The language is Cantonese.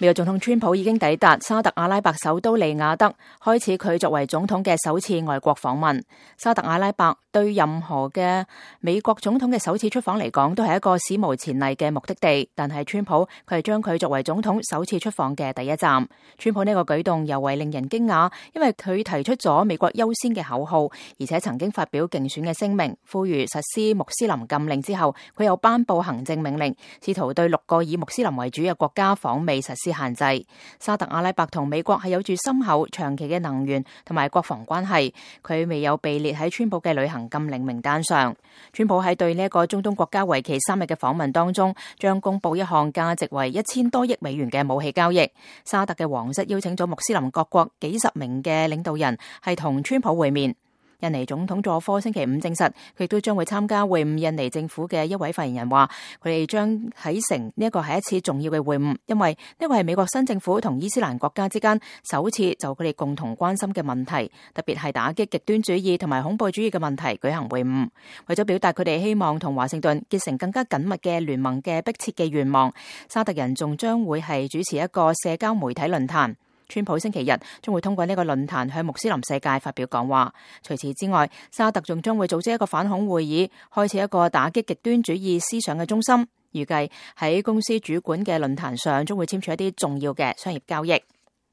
美國總統川普已經抵達沙特阿拉伯首都利雅得，開始佢作為總統嘅首次外國訪問。沙特阿拉伯對任何嘅美國總統嘅首次出訪嚟講，都係一個史無前例嘅目的地。但係川普佢係將佢作為總統首次出訪嘅第一站。川普呢個舉動尤為令人驚訝，因為佢提出咗美國優先嘅口號，而且曾經發表競選嘅聲明，呼籲實施穆斯林禁令之後，佢又頒布行政命令，試圖對6個以穆斯林為主嘅國家訪美實施限制。沙特阿拉伯同美國係有住深厚長期嘅能源同埋國防關係，佢未有被列喺川普嘅旅行禁令名單上。川普喺對呢一個中東國家為期3日嘅訪問當中，將公布一項價值為1000多億美元嘅武器交易。沙特嘅皇室邀請咗穆斯林各國幾十名嘅領導人係同川普會面。印尼總統佐科星期五證實，佢亦都將會參加會晤。印尼政府嘅一位發言人話，佢哋將睇成呢一個係一次重要嘅會晤，因為呢個係美國新政府同伊斯蘭國家之間首次就佢哋共同關心嘅問題，特別係打擊極端主義同埋恐怖主義嘅問題舉行會晤。為咗表達佢哋希望同華盛頓結成更加緊密嘅聯盟嘅迫切嘅願望，沙特人仲將會係主持一個社交媒體論壇。川普星期日將會通過呢個論壇向穆斯林世界發表講話。除此之外，沙特仲將會組織一個反恐會議，開設一個打擊極端主義思想嘅中心。預計喺公司主管嘅論壇上，將會簽署一啲重要嘅商業交易。